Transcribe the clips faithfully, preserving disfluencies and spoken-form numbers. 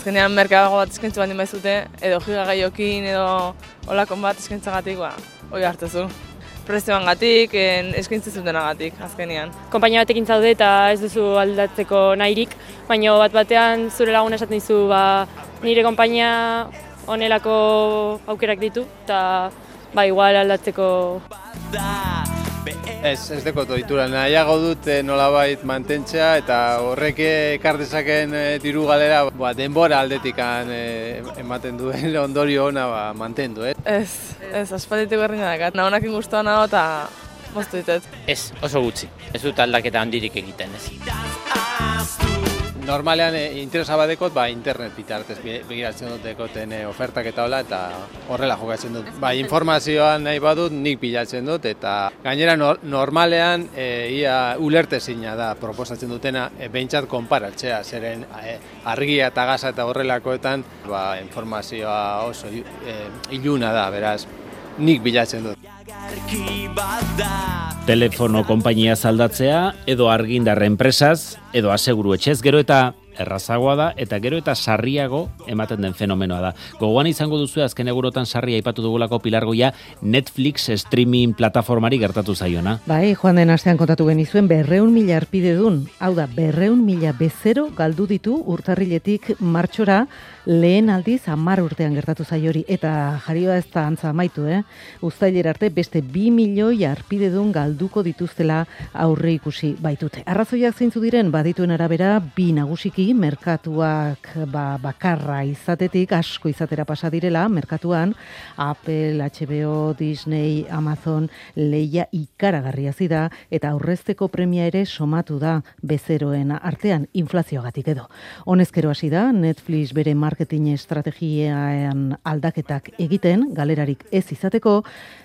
azkenean merkeago bat eskaintzu baldin baizute, edo gigagaiokin edo olakon bat eskaintzagatik, ba, hori hartuzu. Prezioangatik, eskaintzen zutenagatik, azkenean. Konpainia batekin zaude eta ez duzu aldatzeko nahirik, baina bat batean zure lagun esaten dizu, ba, nire konpainia honelako aukerak ditu, eta ba, igual aldatzeko. Ez, ez dekot ohitura, nahiago dut nolabait mantentzea eta horrek ekar dezaken diru galera ba, denbora aldetikan ematen duen ondorio ona ba, mantendu. Eh? Ez, ez, aspalditik berri nadakat. Nahonakin guztua nago eta moztu ditet. Ez, oso gutxi. Ez dut aldaketa handirik egiten, ez. Normalean e, interesa badekot, ba, internet bitartez begiratzen dut dekoten e, ofertak eta hola, eta horrela jokatzen dut. Ba, informazioan nahi badut, nik bilatzen dut, eta gainera no, normalean e, ia ulertezina da proposatzen dutena, e, behintzat konparatzea, zeren e, argia eta gaza eta horrelakoetan, ba, informazioa oso e, iluna da, beraz, nik bilatzen dut. Telefono konpainia aldatzea, edo argindarra enpresaz, edo aseguru etxez, gero eta errazagoa da, eta gero eta sarriago ematen den fenomenoa da. Gogoan izango duzu azken egurotan sarria aipatu dugulako Pilargoia Netflix streaming plataformari gertatu zaiona. Bai, joan den astean kontatu genizuen berreun mila arpide dun. Hau da, berreun mila bezero galdu ditu urtarriletik martxora, lehen aldiz hamar urtean gertatu zaiori, eta jarioa ez da antza amaitu, eh? Uztailera arte beste bi milioi arpidedun galduko dituztela aurre ikusi baitute. Arrazoiak zeintzu diren badituen arabera bi nagusiki merkatuak ba, bakarra izatetik asko izatera pasa direla merkatuan, Apple, H B O, Disney, Amazon, leia ikaragarria zida eta aurrezteko premia ere somatu da bezeroen artean inflazioagatik edo. Honezkero hasi da Netflix bere marketing estrategian aldaketak egiten, galerarik ez izateko,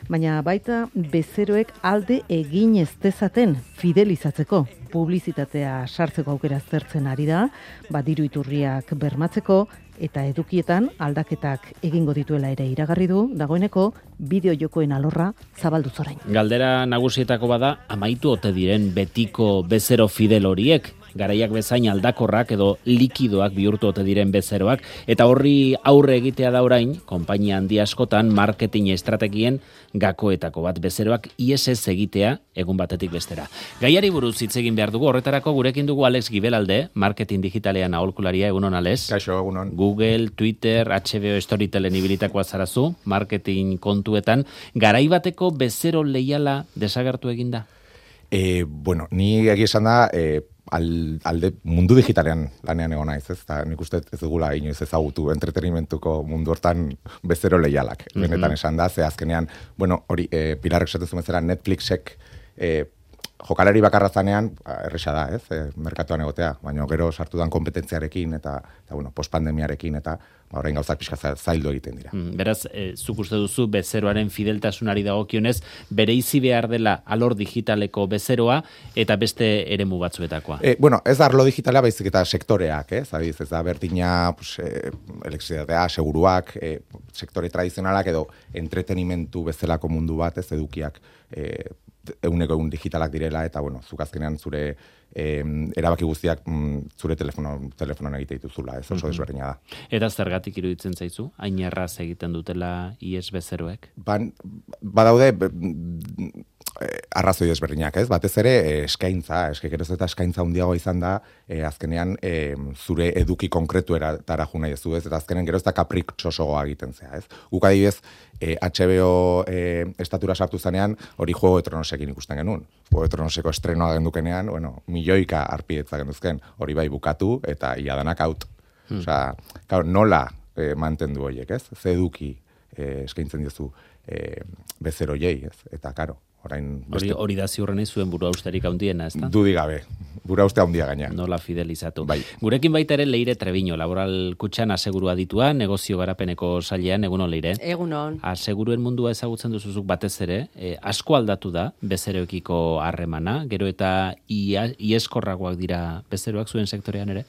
baina baita bezeroek alde egin ez dezaten fidelizatzeko, publizitatea sartzeko aukera zertzen ari da, badiru iturriak bermatzeko, eta edukietan aldaketak egingo dituela ere iragarri du, dagoeneko bideo jokoen alorra zabaldu zorain. Galdera nagusietako bada, amaitu ote diren betiko bezero fidel horiek, garaiak bezain aldakorrak edo likidoak bihurtu ote diren bezeroak, eta horri aurre egitea da orain, konpainia handi askotan marketing estrategien gakoetako bat bezeroak ies ez egitea egun batetik bestera. Gaiari buruz hitz egin behar dugu, horretarako gurekin dugu Alex Gibelalde, marketing digitalean aholkularia, egunon Alex. Kaixo, egunon. Google, Twitter, H B O Storytelen ibilitakoa zarazu, marketing kontuetan, garai bateko bezero leiala desagertu eginda? E, bueno, ni egia esan da, e, al, alde mundu digitalean lanean egon naiz, ez? Ta, nik uste ez dugula inoiz ezagutu entretenimentuko mundu hortan bezero leialak. Mm-hmm. Benetan esan da, ze azkenean, bueno, hori, e, Pilarrek esaten bezala Netflixek e, jokalari bakarra zanean, erresa da, ez? E, merkatuan egotea, baina gero sartu dan kompetentziarekin eta, eta bueno, postpandemiarekin eta ba, orain gauzak pixka zaildu egiten dira. Mm, beraz, e, zuk uste duzu bezeroaren fideltasunari dagokionez, bereizi behar dela alor digitaleko bezeroa eta beste eremu batzuetakoa. E, bueno, ez da arlo digitala, baizik eta sektoreak, ez? Adiz, ez da berdina, pues, e, elektrizitatea, seguruak, e, sektore tradizionalak edo entretenimentu bezalako mundu bat, ez edukiak, e, eguneko egun digitalak direla, eta, bueno, zuk azkenean zure eh, erabaki guztiak mm, zure telefono, telefonoan egite dituzula, ez oso mm-hmm. desberdina da. Eta zergatik iruditzen zaizu? Hain erraz egiten dutela ies bezeroek? Ban, badaude arrazoi desberdinak, ez? Batez ere eskaintza, eske geroz eta eskaintza handiago izan da, e, azkenean e, zure eduki konkretuera tara nahi ez du, ez? Eta azkenean geroz eta kapritxosogoa egiten zea, ez? Guk adibidez, e, H B O e, estatura sartu zanean, hori Juego de Tronosekin ikusten genuen. Juego de Tronoseko estrenoa gendukenean, bueno, milioika arpidetza genduzken, hori bai bukatu, eta ia danak out. Hmm. Osea, claro, nola e, mantendu horiek, ez? Ze eduki e, eskaintzen diozu e, bezeroiei, ez? Eta, karo, orain... Hori, hori da ziurrenei zuen buru austerik handiena, ez da? Dudi gabe, buru auste handia gaina. Nola fidelizatu. Bai. Gurekin baita ere Leire Trebiño, laboral kutxan asegurua ditua, negozio garapeneko sailean, egunon Leire? Egunon. Aseguruen mundua ezagutzen duzuzuk batez ere, eh, asko aldatu da bezeroekiko harremana, gero eta ia, ieskorragoak dira bezeroak zuen sektorean ere?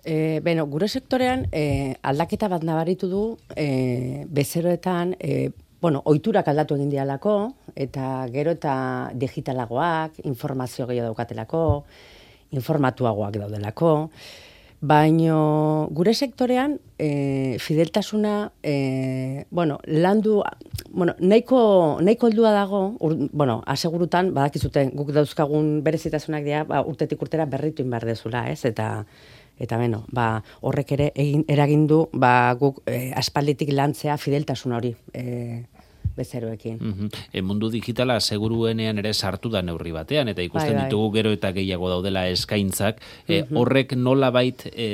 E, beno, gure sektorean e, aldaketa bat nabaritu du e, bezeroetan, e, bueno, ohiturak aldatu egin dialako, eta gero eta digitalagoak, informazio gehiago daukatelako, informatuagoak daudelako, Baino gure sektorean e, fideltasuna e, bueno, landu bueno, nahiko nahiko heldua dago, ur, bueno, asegurutan badakizute guk dauzkagun berezitasunak dira, ba, urtetik urtera berritu in behar dezula, ez? Eta eta beno, ba, horrek ere egin eragin du ba, guk e, aspalditik lantzea fideltasun hori. E, bezeroekin. Mm-hmm. E, mundu digitala seguruenean ere sartu da neurri batean, eta ikusten bai, bai. ditugu gero eta gehiago daudela eskaintzak. E, mm-hmm. Horrek nolabait e,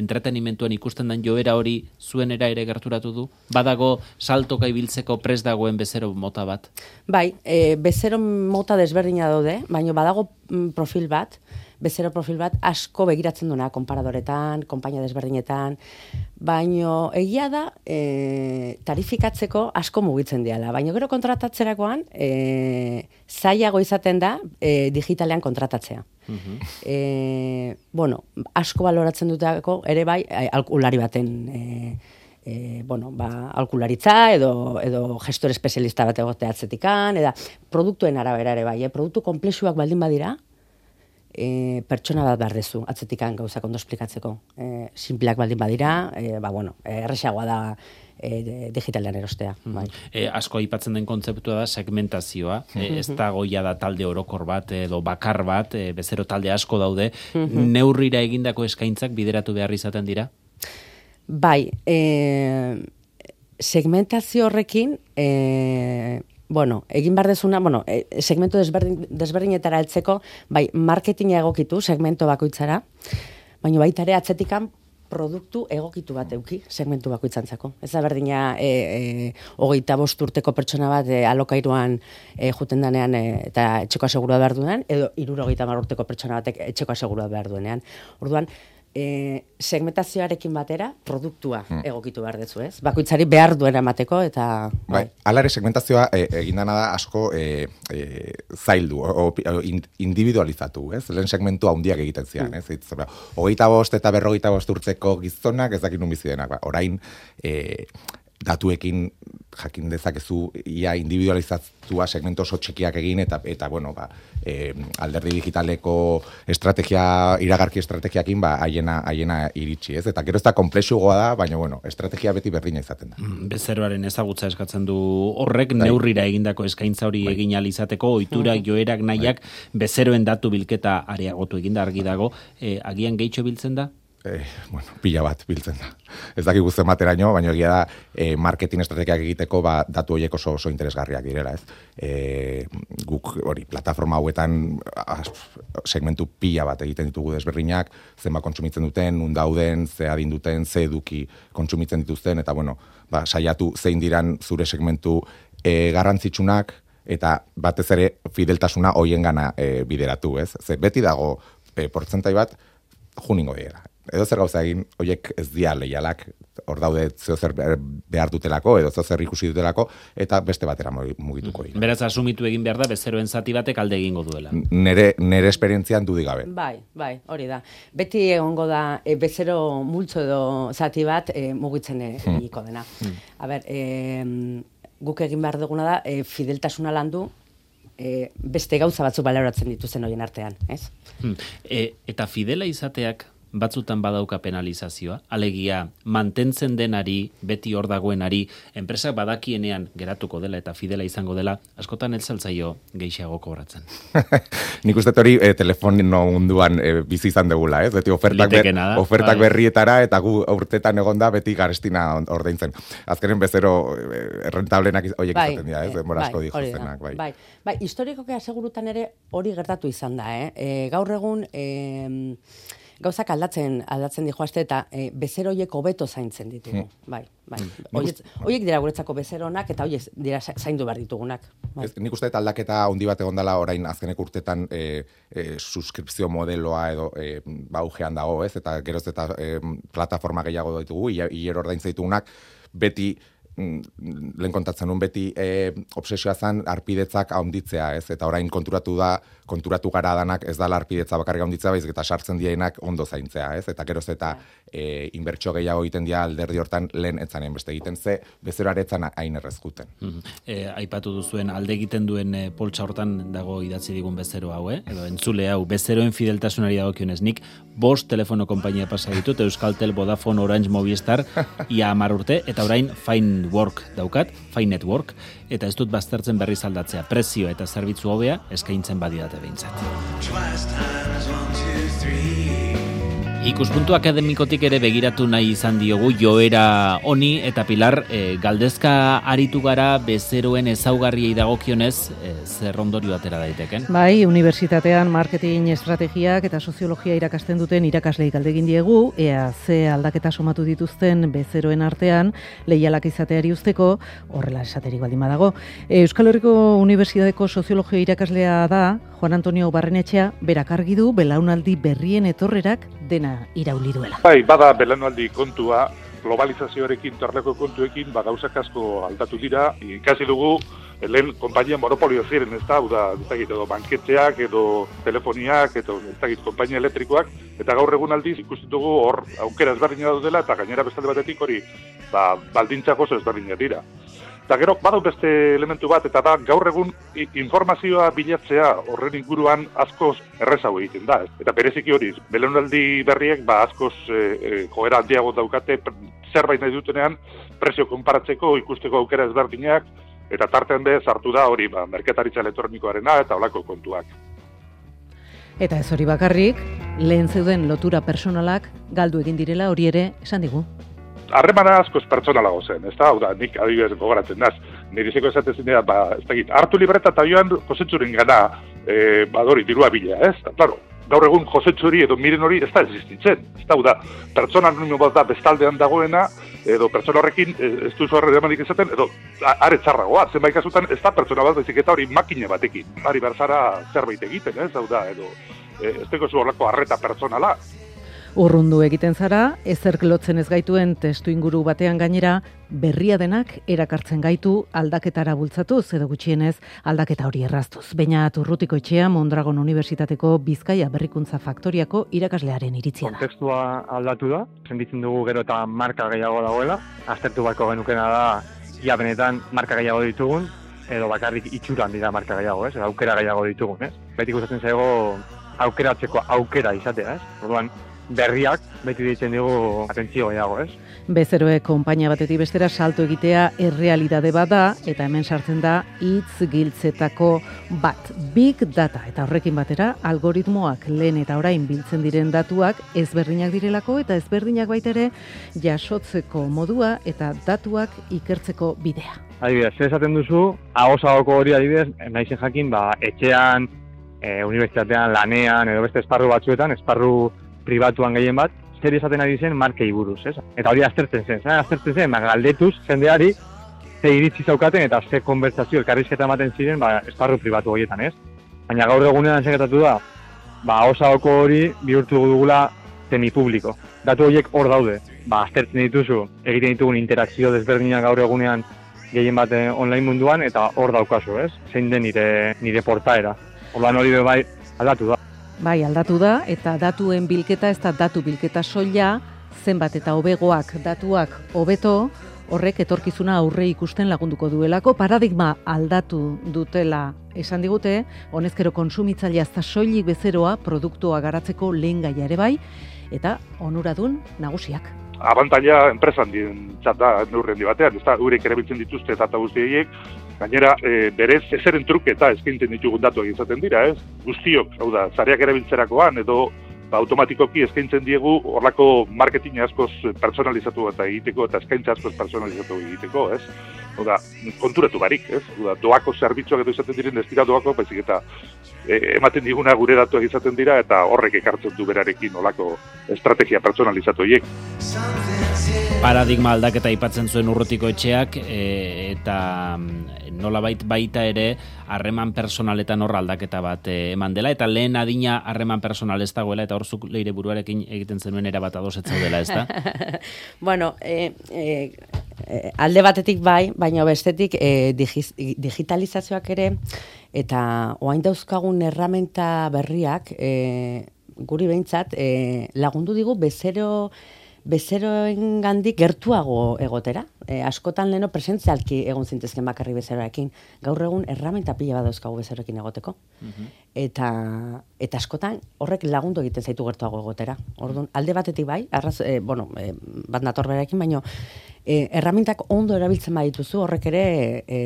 entretenimentuan ikusten den joera hori zuenera ere gerturatu du? Badago saltoka ibiltzeko prest dagoen bezero mota bat? Bai, e, bezero mota desberdina daude, baina badago mm, profil bat, bezero profil bat asko begiratzen duena konparadoretan, konpainia desberdinetan, baino egia da e, tarifikatzeko asko mugitzen diala, baino gero kontratatzerakoan e, zailago izaten da e, digitalean kontratatzea. Uh-huh. E, bueno, asko baloratzen dutako ere bai alkulari baten e, e, bueno, ba, alkularitza edo, edo gestor espezialista bat egotea atzetikan, eda produktuen arabera ere bai, eh? Produktu komplexuak baldin badira, E, pertsona bat behar dezu, atzetikan gauzak ondo esplikatzeko. E, Simpleak baldin badira, e, ba, bueno, erresagoa da e, digitalean erostea. Mm-hmm. Bai. E, asko aipatzen den kontzeptua da segmentazioa. Mm-hmm. E, ez da goia da talde orokor bat edo bakar bat, e, bezero talde asko daude. Mm-hmm. Neurrira egindako eskaintzak bideratu behar izaten dira? Bai, e, segmentazio horrekin... E, Bueno, egin behar dezuna, bueno, segmento desberdin, desberdinetara heltzeko, bai, marketinga egokitu segmento bakoitzara, baina baita ere atzetikan produktu egokitu bat euki segmentu bakoitzantzako. Ez da berdina e, e, hogeita bost urteko pertsona bat e, alokairuan e, juten danean e, eta etxeko asegurua behar duenean, edo hirurogeita hamar urteko pertsona batek etxeko asegurua behar duenean. Orduan, E, segmentazioarekin batera produktua hmm. egokitu behar dezu, ez? Bakoitzari behar duena emateko eta... Bai, alare segmentazioa e, egin dana da asko e, e, zaildu, o, o, individualizatu, ez? Lehen segmentu handiak egiten zian, ez? Hmm. Hogeita bost eta berrogeita bost urtzeko gizonak ez dakit nun bizi denak, ba. Orain e, datuekin jakin dezakezu ia individualizatua segmento oso txikiak egin eta eta bueno, ba, e, alderdi digitaleko estrategia, iragarki estrategiakin ba haiena haiena iritsi, ez? Eta gero ez da konplexuagoa da, baina bueno, estrategia beti berdina izaten da. Mm, bezeroaren ezagutza eskatzen du horrek, dai. Neurrira egindako eskaintza hori bai. Egin ahal izateko, ohiturak, joerak, nahiak bai. Bezeroen datu bilketa areagotu eginda argi dago, e, agian gehitxo biltzen da? Eh, bueno, pila bat biltzen da. Ez dakik guztien bateraino, baina egia da eh, marketing estrategiak egiteko ba, datu horiek oso, oso interesgarriak direla, ez? Eh, guk hori, plataforma hauetan as, segmentu pila bat egiten ditugu desberdinak, zenba kontsumitzen duten, nun dauden, ze adin duten, ze eduki kontsumitzen dituzten, eta bueno, ba, saiatu zein diran zure segmentu eh, garrantzitsunak, eta batez ere fideltasuna hoien gana eh, bideratu, ez? Ze beti dago eh, portzentai bat, juningo dira. Edo zer gauza egin, horiek ez dia leialak, hor daude zeo zer behar dutelako, edo zeo zer ikusi dutelako, eta beste batera mugituko dira. Beraz, asumitu egin behar da, bezeroen zati batek alde egingo duela. Nere, nere esperientzian dudik gabe. Bai, bai, hori da. Beti egongo da, e, bezero multzo edo zati bat e, mugitzen egiko dena. Hmm. A ber, e, guk egin behar duguna da, e, fideltasuna landu, e, beste gauza batzuk baloratzen dituzten horien artean, ez? Hmm. E, eta fidela izateak batzutan badauka penalizazioa, alegia mantentzen denari, beti hor dagoenari, enpresak badakienean geratuko dela eta fidela izango dela, askotan ez zaltzaio gehiago kobratzen. Nik uste hori e, telefonino munduan e, bizi izan degula, ez? Beti ofertak, ber, ofertak bai. Berrietara eta gu urtetan egonda beti garestina ordaintzen. Azkenen bezero errentablenak horiek bai, izaten dira, ez? Denbora asko dihozenak. Bai, bai. Bai, historikoki asegurutan ere hori gertatu izan da, eh? E, gaur egun... E, gauzak aldatzen aldatzen dijoazte eta e, bezeroiek hobeto zaintzen ditugu. Hmm. Bai, bai. Horiek dira guretzako bezeronak eta horiek dira zaindu behar ditugunak. Bai. Ez, nik uste eta aldaketa handi bat egondala orain azkenek urtetan e, e, suskripzio modeloa edo e, baujean dago, ez? Eta geroz eta e, plataforma gehiago ditugu, hilero ordaintza ditugunak, beti lehen kontatzen nun beti e, obsesioa zen arpidetzak haunditzea, ez? Eta orain konturatu da, konturatu gara danak ez da arpidetza bakarrik haunditzea, baizik eta sartzen dienak ondo zaintzea, ez? Eta geroz eta e, inbertsio gehiago egiten dira alderdi hortan lehen etzanen beste egiten ze, bezeroaretzan hain errezkuten. Mm-hmm. E, aipatu duzuen alde egiten duen e, poltsa hortan dago idatzi digun bezero hau, eh? Edo entzule hau, bezeroen fideltasunari dagokionez, nik bost telefono konpainia pasa ditut, Euskaltel, Vodafone, Orange, Movistar, ia hamar urte, eta orain Fine Work daukat, Fine Network, eta ez dut baztertzen berriz aldatzea, prezio eta zerbitzu hobea eskaintzen badidate behintzat. Ikuspuntu akademikotik ere begiratu nahi izan diogu joera honi eta Pilar, e, galdezka aritu gara bezeroen ezaugarriei dagokionez, e, zer ondorio atera daiteken? Bai, unibertsitatean marketing estrategiak eta soziologia irakasten duten irakaslei galdegin diegu, ea ze aldaketa somatu dituzten bezeroen artean leialak izateari usteko, horrela esaterik baldin badago. Euskal Herriko Unibertsitateko soziologia irakaslea da, Juan Antonio Barrenetxea, berak argi du belaunaldi berrien etorrerak dena irauli duela. Bai, bada belaunaldi kontua, globalizazioarekin, torleko kontuekin, ba, gauzak asko aldatu dira. Ikasi dugu, lehen konpainia monopolio ziren, ez da, ez da, edo banketxeak, edo telefoniak, edo ez da, konpainia elektrikoak, eta gaur egun aldiz ikusten dugu hor aukera ezberdina dela, eta gainera bestalde batetik hori, ba, baldintzak oso ezberdinak dira. Eta gero, badau beste elementu bat, eta da, gaur egun informazioa bilatzea horren inguruan askoz errezago egiten da. Eta bereziki hori, belaunaldi berriek ba, askoz e, e, joera handiago daukate, zerbait nahi dutenean, prezio konparatzeko, ikusteko aukera ezberdinak, eta tartean bez hartu da hori, ba, merkataritza elektronikoarena eta holako kontuak. Eta ez hori bakarrik, lehen zeuden lotura personalak galdu egin direla hori ere esan digu. Harremana askoz pertsonalago zen, ez da? Hau da, nik adibidez gogoratzen naz. Nirizeko esaten zinea, ba, ez da, hartu libreta eta joan Josetxuren gana, e, badori, dirua bila, ez? Da, claro, gaur egun Josetxuri edo miren hori ez da existitzen. Ez da, hau da, pertsona anonimo bat da bestaldean dagoena, edo pertsona horrekin ez duzu harremanik izaten, edo are txarragoa, zenbait kasutan ez da pertsona bat baizik eta hori makine batekin. Ari berzara zerbait egiten, ez? Hau da, edo ez teko zu horreko harreta pertsonala. Urrundu egiten zara, ezerk lotzen ez gaituen testu inguru batean gainera, berria denak erakartzen gaitu aldaketara bultzatuz, edo gutxienez aldaketa hori erraztuz. Beñat Urrutikoetxea, Mondragon Unibertsitateko Bizkaia Berrikuntza Faktoriako irakaslearen iritzia da. Kontekstua aldatu da, sentitzen dugu gero eta marka gehiago dagoela, aztertu bako genukena da, ia benetan marka gehiago ditugun, edo bakarrik itxuran dira marka gehiago, ez? Aukera gehiago ditugun, ez? Beti gustatzen zaigo aukeratzeko aukera izatea, ez? Orduan, berriak beti ditzen dugu atentzio gehiago, ez? Bezeroek konpainia batetik bestera salto egitea errealitate bat da, eta hemen sartzen da hitz giltzetako bat. Big data, eta horrekin batera, algoritmoak lehen eta orain biltzen diren datuak ezberdinak direlako, eta ezberdinak baita ere jasotzeko modua eta datuak ikertzeko bidea. Adibidez, zer esaten duzu, agosagoko hori adibidez, naizen jakin, ba, etxean, e, unibertsitatean, lanean, edo beste esparru batzuetan, esparru pribatuan gehien bat, zer esaten ari zen markei buruz, ez? Eta hori aztertzen zen, zen aztertzen zen, galdetuz jendeari ze iritzi zaukaten eta ze konbertsazio elkarrizketa ematen ziren ba, esparru pribatu horietan, ez? Baina gaur egunean sekretatu da, ba, osagoko hori bihurtu dugula semipubliko. Datu horiek hor daude, ba, aztertzen dituzu, egiten ditugun interakzio desberdinak gaur egunean gehien bat online munduan, eta hor daukazu, ez? Zein den nire, nire portaera. Orduan hori bai aldatu da. Bai, aldatu da, eta datuen bilketa ez da datu bilketa soila, zenbat eta hobegoak datuak hobeto, horrek etorkizuna aurre ikusten lagunduko duelako, paradigma aldatu dutela esan digute, honezkero kontsumitzailea ez da soilik bezeroa produktua garatzeko lehen gaia ere bai, eta onuradun nagusiak. Abantaila enpresan dientzat da neurren di batean, ez da, eurek erabiltzen dituzte eta guztiek, gainera, e, berez, ezeren truketa eskaintzen ditugun datuak izaten dira, ez? Guztiok, hau da, zareak erabiltzerakoan, edo ba, automatikoki eskaintzen diegu horlako marketing askoz personalizatu eta egiteko, eta eskaintza askoz personalizatu egiteko, ez? Hau da, konturatu barik, ez? Hau da, doako zerbitzuak edo izaten diren, ez dira doako, baizik eta e, ematen diguna gure datuak izaten dira, eta horrek ekartzen du berarekin horlako estrategia personalizatu horiek. Paradigma aldaketa aipatzen zuen Urrutikoetxeak, e, eta nolabait baita ere harreman personaletan hor aldaketa bat e, eman dela, eta lehen adina harreman personal ez dagoela, eta hor zuk leire buruarekin egiten zenuen erabat ados ez zaudela, ez da? Bueno, e, e, e, alde batetik bai, baina bestetik e, digiz, digitalizazioak ere, eta oain dauzkagun erramenta berriak, e, guri behintzat, e, lagundu digu bezero, bezeroen gandik gertuago egotera. E, askotan leno presentzialki egon zintezken bakarri bezeroekin. Gaur egun erramenta pila bat dauzkagu bezeroekin egoteko. Mm-hmm. Eta, eta askotan horrek lagundu egiten zaitu gertuago egotera. Orduan, alde batetik bai, arraz, e, bueno, e, bat nator berarekin, baina e, erramintak ondo erabiltzen badituzu horrek ere e,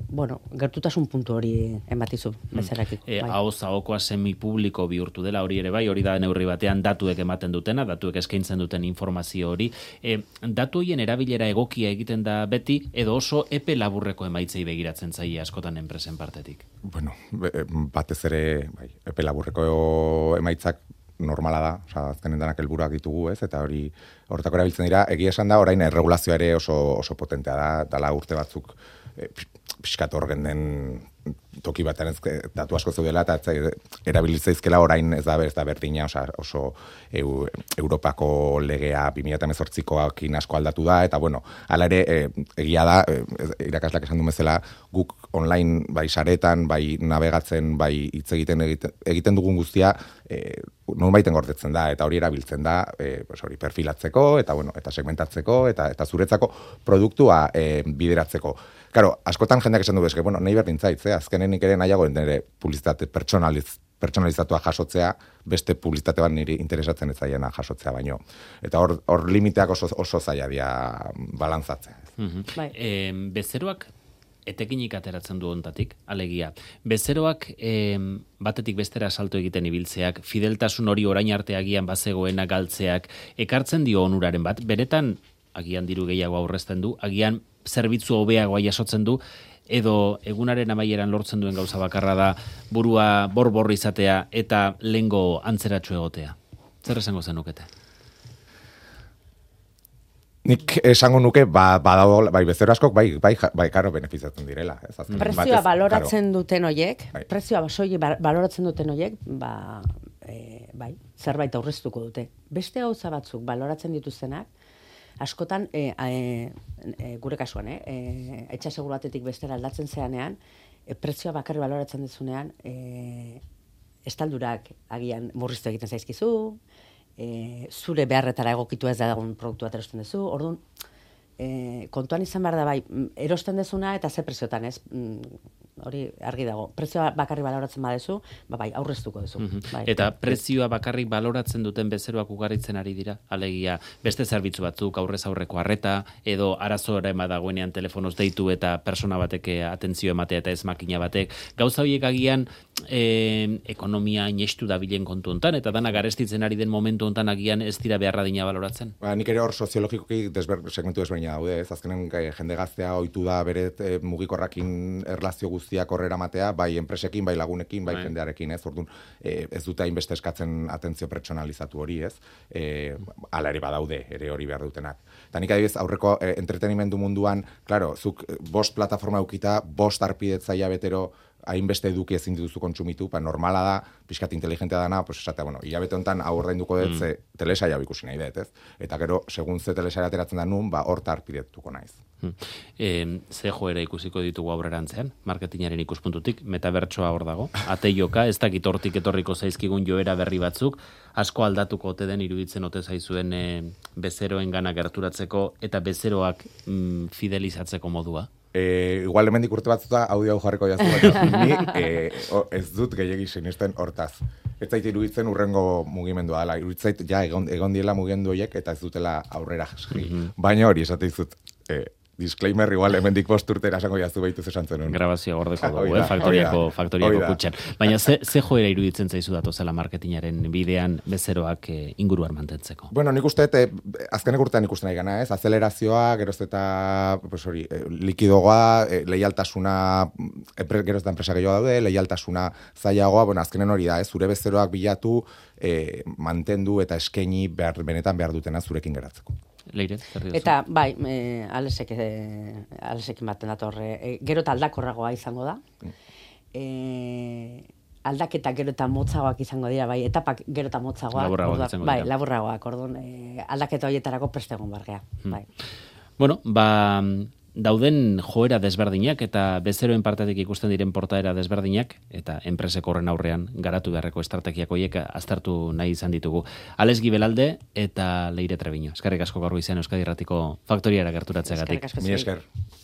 bueno, gertutasun puntu hori ematizu bezeroekin. E, bai. Ahoz ahokoa semipubliko bihurtu dela hori ere bai, hori da neurri batean datuek ematen dutena, datuek eskaintzen duten informazio hori. E, datu horien erabilera egokia egiten da beti, edo oso epe laburreko emaitzei begiratzen zaie askotan enpresen partetik? Bueno, batez ere, bai, epe laburreko emaitzak normala da, osea, azkenen danak helburuak ditugu, ez? Eta hori horretako erabiltzen dira, egia esan da orain erregulazioa ere oso oso potentea da, dala urte batzuk e, pixkat hor den toki batean ez, datu asko zeudela, eta erabilitzaizkela orain ez da, ez da berdina, osa, oso eu, Europako legea bi mila hemezortzikoakin asko aldatu da, eta bueno, hala ere, e, egia da, e, irakaslak esan du bezala, guk online, bai saretan, bai navegatzen, bai hitz egiten, egiten egiten dugun guztia, e, nonbaiten gordetzen da, eta hori erabiltzen da, e, pues hori perfilatzeko, eta bueno, eta segmentatzeko, eta eta zuretzako produktua e, bideratzeko. Claro, askotan jendeak esan du bezke, bueno, nahi berdin zaitz, eh? Azkenen nik ere nahiago nire publizitate pertsonaliz, pertsonalizatua jasotzea, beste publizitate bat niri interesatzen ez zaiena jasotzea baino. Eta hor, hor limiteak oso, oso zaila dira balantzatzea. Mm-hmm. Bai. E, bezeroak etekinik ateratzen du ontatik, alegia. Bezeroak e, batetik bestera salto egiten ibiltzeak, fideltasun hori orain arte agian bazegoena galtzeak, ekartzen dio onuraren bat, beretan agian diru gehiago aurrezten du, agian zerbitzu hobeagoa jasotzen du, edo egunaren amaieran lortzen duen gauza bakarra da burua borbor izatea eta lengo antzeratxo egotea. Zer esango zenukete? Nik esango nuke, ba, badago, bai, bezero askok, bai, bai, bai, karo, benefizatzen direla. Ez, azken, prezioa batez, baloratzen karo. duten hoiek, bai. prezioa soilik baloratzen duten hoiek, ba, e, bai, zerbait aurreztuko dute. Beste gauza batzuk baloratzen dituztenak, askotan, e, e, e, gure kasuan, eh, e, etxa seguru batetik bestera aldatzen zeanean, e, prezioa bakarri baloratzen dizunean, e, estaldurak agian murriztu egiten zaizkizu, e, zure beharretara egokitu ez da dagoen produktu bat erosten duzu, orduan, e, kontuan izan behar da bai, erosten dezuna eta ze preziotan ez, hori argi dago. Prezioa bakarri baloratzen badezu, ba bai, aurreztuko duzu. Mm-hmm. Bai. Eta prezioa bakarrik baloratzen duten bezeroak ugaritzen ari dira, alegia beste zerbitzu batzuk, aurrez aurreko arreta, edo arazora ema dagoenean telefonoz deitu eta persona batek atentzio ematea eta ez makina batek. Gauza horiek agian e, ekonomia inestu dabilen kontu hontan, eta dana garestitzen ari den momentu hontan agian ez dira beharra dina baloratzen. Ba, nik ere hor soziologikoki desber, segmentu desberdina daude, ez azkenen jende gaztea ohitu da bere e, mugikorrakin erlazio guztiak horrera matea, bai enpresekin, bai lagunekin, bai, bai. jendearekin, ez? Orduan, e, ez dute hainbeste eskatzen atentzio pertsonalizatu hori, ez? E, hala ere badaude, ere hori behar dutenak. Eta nik adibidez, aurreko e, entretenimendu munduan, claro, zuk bost plataforma eukita, bost arpidetzaia betero, hainbeste eduki ezin dituzu kontsumitu, pa normala da, pixkat inteligentea dana, pues esatea, bueno, hilabete honetan hau ordainduko dut, mm. ze telesaia ikusi nahi dut, ez? Eta gero, segun ze telesaia ateratzen da nun, ba, horta arpidetuko naiz. Hmm. E, ze joera ikusiko ditugu aurrerantzean, marketingaren ikuspuntutik, metabertsoa hor dago, ateioka, ez dakit hortik etorriko zaizkigun joera berri batzuk, asko aldatuko ote den iruditzen ote zaizuen e, bezeroen gana gerturatzeko eta bezeroak mm, fidelizatzeko modua? E, igual hemendik urte batzuta audio hau jarriko jaztu, baina ni e, o, ez dut gehiagi sinisten hortaz. Ez zait iruditzen urrengo mugimendua dela, iruditzait ja egon, egon diela mugimendu horiek eta ez dutela aurrera jasri. Mm-hmm. Baina hori esate dizut, e, disclaimer igual hemendik bost urtera esango jaztu behitu zesan zenun. Grabazio gordeko dugu, eh? faktoriako, faktoriako kutxan. Baina ze, ze joera iruditzen zaizu datozela marketingaren bidean bezeroak e, inguruan mantentzeko? Bueno, nik uste, e, azkenek urtean ikusten nahi gana, ez? Azelerazioa, geroz eta pues hori, e, likidogoa, e, leialtasuna, epre, geroz eta enpresa gehiago daude, leialtasuna zailagoa, bueno, azkenen hori da, ez? Zure bezeroak bilatu, e, mantendu eta eskaini behar, benetan behar dutena zurekin geratzeko. Leire, eta bai, e, alesek, e, alesekin baten datorre, e, gero eta aldakorragoa izango da. E, aldaketa gero eta motzagoak izango dira, bai, etapak gero eta motzagoak. Laburragoak izango bai, dira. Laburragoak, orduan, e, aldaketa horietarako prestegon bargea. Hmm. Bai. Bueno, ba, dauden joera desberdinak eta bezeroen partetik ikusten diren portaera desberdinak eta enpresek horren aurrean garatu beharreko estrategiak horiek aztertu nahi izan ditugu. Ales Gibelalde eta Leire Trebiño. Eskerrik asko gaur goizean Euskadi Irratiko Faktoriara gerturatzeagatik. Mi esker.